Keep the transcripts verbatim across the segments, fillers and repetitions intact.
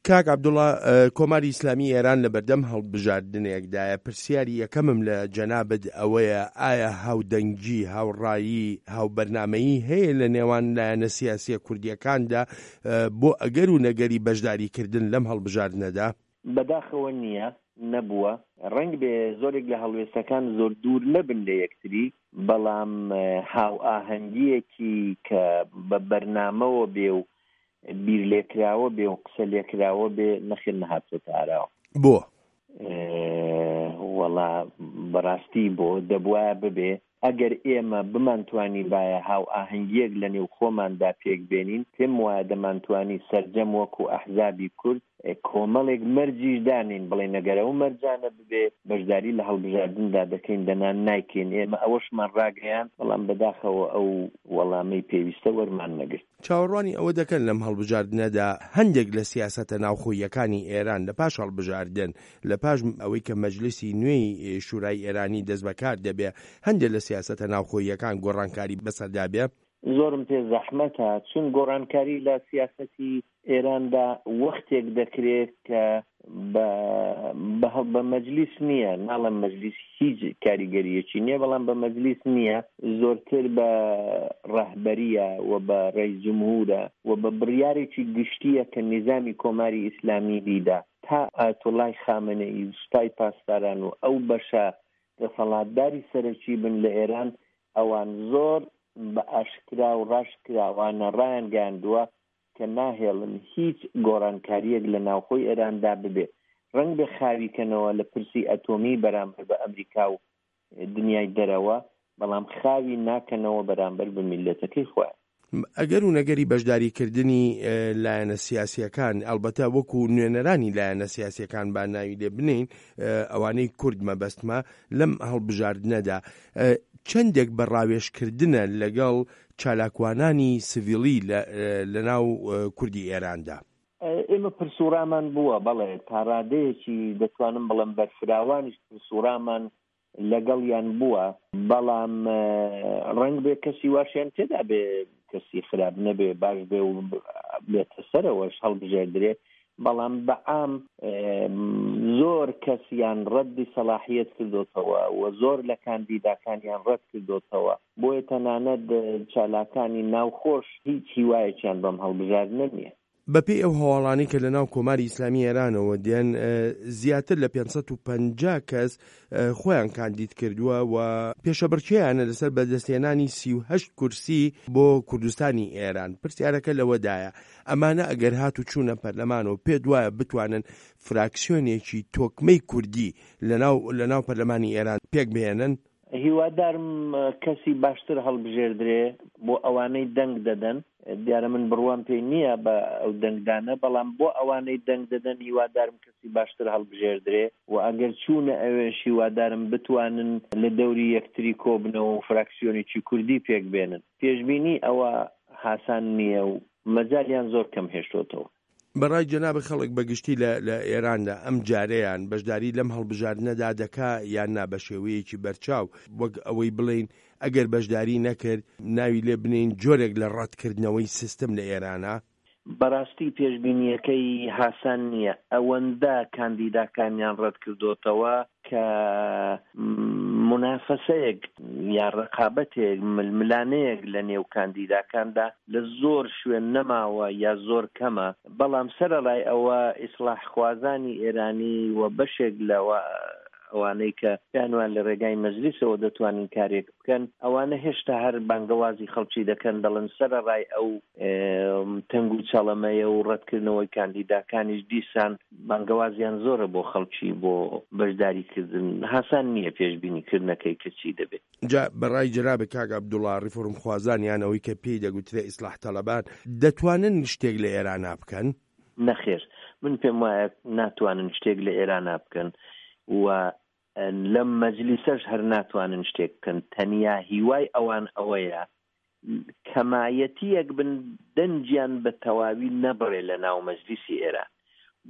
کاک عەبدوڵا، کۆماری ئیسلامی ئێران لە بەردەم هەڵبژاردنێکدایە، پرسیاری یەکەمم لە جەنابت ئەوەیە ئایا هاودەنگی، هاوڕایی، هاوبەرنامەیی هەیە لە نێوان لایەنە سیاسییە کوردییەکاندا بۆ ئەگەر و نەگەری بەشداریکردن لەم هەڵبژاردنەدا؟ بەداخەوە نییە، نەبووە. ڕەنگبێ زۆرێک لە هەڵوێستەکان زۆر دوور نەبن لە یەکتری، بەڵام هاوئاهەنگییەکی کە بە بەرنامەوە بێ و بیر لێکراوە بێ و قسە لێکراوە بێ، نەخێر نەهاتۆتە ئاراوە. بۆ؟ وەڵا بەڕاستی بۆ دەبوایە ببێ. ئەگەر ئێمە بمانتوانیبایە هاوئاهەنگییەک لە نێو خۆماندا پێک بێنین، پێم وایە دەمانتوانی سەرجەم وەکوو ئەحزابی کورد کۆمەڵێک مەرجیش دانێین، بڵێین ئەگەر ئەو مەرجانە ببێ بەشداری لە هەڵبژاردندا دەکەین، دەنا نایکەین. ئێمە ئەوەشمان ڕاگەیاند، بەڵام بەداخەوە ئەو وەڵامەی پێویستە وەرمان نەگرت. چاوەڕوانی ئەوە دەکەن لەم هەڵبژاردنەدا هەندێک لە سیاسەتە ناوخۆییەکانی ئێران لە پاش هەڵبژاردن، لە پاش ئەوەی کە مەجلیسی نوێی شورای ئێرانی دەستبەکار دەبێ، هەندێک لە سیاسەتە ناوخۆییەکان گۆڕانکاری بەسەردا بێ؟ زۆرم پێ زەحمەتە، چون گۆڕانکاری لە سیاسەتی ئێراندا وەختێک دەکرێ کە بە بە بە مەجلیس نییە، ناڵێم مەجلیس هیچ کاریگەرییەکی نییە، بەڵام بە مەجلیس نییە، زۆرتر بە ڕەهبەرییە و بە ڕەئیس جمهوورە و بە بڕیارێکی گشتییە کە نیزامی کۆماری ئیسلامی بیدا. تا ئایەتوڵای خامەنەئی و سوپای پاسداران و ئەو بەشە دەسەڵاتداری سەرەکی بن لە ئێران، ئەوان زۆر بە ئاشکرا و ڕاشکراوانە ڕایانگەیاندووە کە ناهێڵن هیچ گۆڕانکارییەک لە ناوخۆی ئێراندا ببێ. ڕەنگبێ خاوی کەنەوە لە پرسی ئەتۆمی بەرامبەر بە ئەمریکا و دنیای دەرەوە، بەڵام خاوی ناکەنەوە بەرامبەر بە میللەتەکەی خۆیان. ئەگەر و نەگەری بەشداریکردنی لایەنە سیاسییەکان، ئەڵبەتە وەکو نوێنەرانی لایەنە سیاسییەکان با ناوی لێ بنێین، ئەوانەی کورد مەبەستمە، لەم هەڵبژاردنەدا چەندێک بە ڕاوێژکردنە لەگەڵ چالاکوانانی سڤیلی لەناو کوردی ئێراندا؟ ئێمە پرسوڕامان بووە، بەڵێ، تا ڕادەیەکی دەتوانم بڵێم بەرفراوانیش پرسوڕامان لەگەڵیان بووە، بەڵام ڕەنگبێ کەسی واشیان تێدا بێ، کەسی خراپ نەبێ، باش بێ و بێتە سەرەوەش هەڵبژێردرێ، بەڵام بە عام زۆر کەسیان ڕەدی سەلاحیەت کردۆتەوە و زۆر لە کاندیداکانیان ڕەت کردۆتەوە، بۆیە تەنانەت چالاکانی ناوخۆش هیچ هیوایەکیان بەم هەڵبژاردنە نییە. بەپێی ئەو هەواڵانەی کە لەناو کۆماری ئیسلامی ئێرانەوە دێن، زیاتر لە پێنج سەد و پەنجا کەس خۆیان کاندید کردووە و پێشەبڕکێیانە لەسەر بەدەستهێنانی سی و هەشت کورسی بۆ کوردستانی ئێران. پرسیارەکە لەوەدایە، ئەمانە ئەگەر هات و چوونە پەرلەمانەوە پێت وایە بتوانن فراکسیۆنێکی تۆکمەی کوردی لەناو لەناو پەرلەمانی ئێران پێک بهێنن؟ هیوادارم کەسی باشتر هەڵبژێردرێ بۆ ئەوانەی دەنگ دەدەن، دیارە من بڕوام پێی نییە بە ئەو دەنگدانە، بەڵام بۆ ئەوانەی دەنگ دەدەن هیوادارم کەسی باشتر هەڵبژێردرێ و ئەگەر چوونە ئەوێش هیوادارم بتوانن لە دەوری یەکتری کۆبنەوە و فراکسیۆنێکی کوردی پێک بێنن. پێشبینی ئەوە هاسان نییە و مەجالیان زۆر کەم هێشتۆتەوە. بە ڕای جەنابت خەڵک بە گشتی لە لە ئێراندا ئەم جارەیان بەشداری لەم هەڵبژاردنەدا دەکا یان نا بە شێوەیەکی بەرچاو، وەک ئەوەی بڵێین ئەگەر بەشداری نەکرد ناوی لێ بنێین جۆرێک لە ڕەتکردنەوەی سیستم لە ئێرانا؟ بەڕاستی پێشبینییەکەی هاسان نییە، ئەوەندە کاندیداکانیان ڕەتکردۆتەوە کە مونافەسەیەک یا ڕقابەتێک، ململانێیەک لە نێو کاندیداکاندا لە زۆر شوێن نەماوە یا زۆر کەمە، بەڵام سەرەڕای ئەوە ئیسڵاحخوازانی ئێرانی و بەشێک لە ئەوانەی کە پێیان وایە لە ڕێگای مەجلیسەوە دەتوانن کارێک بکەن، ئەوانە هێشتا هەر بانگەوازی خەڵکی دەکەن، دەڵێن سەرەڕای ئەو تەنگ و چەڵەمەیە و ڕەتکردنەوەی کاندیداکانیش دیسان بانگەوازیان زۆرە بۆ خەڵکی بۆ بەشداریکردن، هاسان نییە پێشبینیکردنەکەی کە چی دەبێت. جا بە ڕای جەنابت کاک عەبدوڵا ڕیفۆرمخوازان یان ئەوەی کە پێی دەگوترێ ئیسڵاح تەڵەبان دەتوانن شتێک لە ئێرانا بکەن؟ نەخێر من پێم وایە ناتوانن شتێک لە ئێرانا بکەن و لەم مەجلیسەش هەر ناتوانن شتێک بکەن، تەنیا هیوای ئەوان ئەوەیە کەمایەتییەک بن دەنگیان بە تەواوی نەبڕێ لە ناو مەجلیسی ئێران.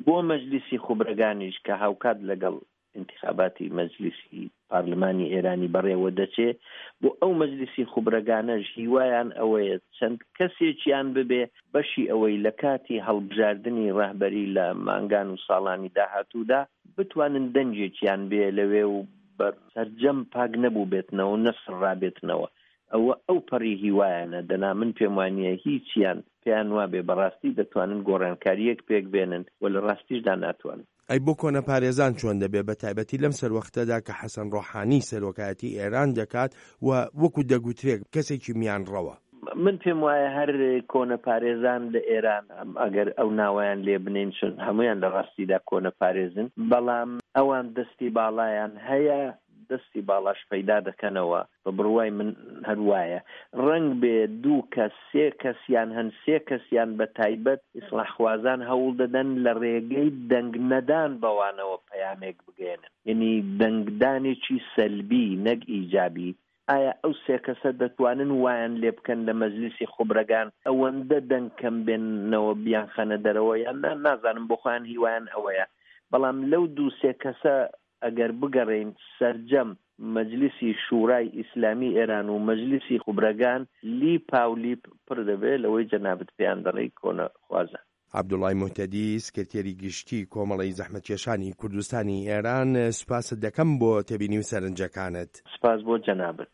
بۆ مەجلیسی خوبرەگانیش کە هاوکات لەگەڵ ئینتخاباتی مەجلیسی پارلمانی ئێرانی بەڕێوە دەچێ، بۆ ئەو مەجلیسی خوبرەگانەش هیوایان ئەوەیە چەند کەسێکیان ببێ بەشی ئەوەی لە کاتی هەڵبژاردنی ڕەهبەری لە مانگان و ساڵانی داهاتوودا بتوانن دەنگێکیان بێ لەوێ و بە سەرجەم پاک نەبووبێتنەوە و نەسڕرابێتنەوە. ئەوە ئەو پەڕی هیوایانە، دەنا من پێم وانییە هیچیان پێیان وابێ بەڕاستی دەتوانن گۆڕانکارییەک پێک بێنن و لە ڕاستیشدا ناتوانن. ئەی بۆ کۆنەپارێزان چۆن دەبێ بە تایبەتی لەم سەروەختەدا کە حەسەن ڕۆحانی سەرۆکایەتی ئێران دەکات و وەکو دەگوترێ کەسێکی میانڕەوە؟ من پێم وایە هەر کۆنەپارێزان لە ئێران ئەگەر ئەو ناوەیان لێ بنێین چون هەموویان لە ڕاستیدا کۆنەپارێزن، بەڵام ئەوان دەستی باڵایان هەیە، دەستی باڵاش پەیدا دەکەنەوە، بە بڕوای من هەر وایە. ڕەنگ بێ دوو کەس، سێ کەسیان هەن، سێ کەسیان بە تایبەت ئیسڵاحخوازان هەوڵ دەدەن لە ڕێگەی دەنگ نەدان بەوانەوە پەیامێک بگەیەنن، یەنی دەنگدانێکی سەلبی نەک ئیجابی. ئایا ئەو سێ کەسە دەتوانن وایان لێ بکەن لە مەجلیسی خوبرەگان ئەوەندە دەنگ کەم بێننەوە بیانخەنە دەرەوە یان نا؟ نازانم، بۆ خۆیان هیوایان ئەوەیە. بەڵام لەو دوو سێ کەسە ئەگەر بگەڕێین سەرجەم مەجلیسی شورای ئیسلامی ئێران و مەجلیسی خوبرەگان لیپاولیپ پڕ دەبێ لەوەی جەنابت پێیان دەڵێی کۆنەخوازان. عەبدوڵای موهتەدی، سکرتێری گشتیی کۆمەڵەی زەحمەتکێشانی کوردستانی ئێران، سوپاست دەکەم بۆ تێبینی و سەرنجەکانت. سوپاس بۆ جەنابت.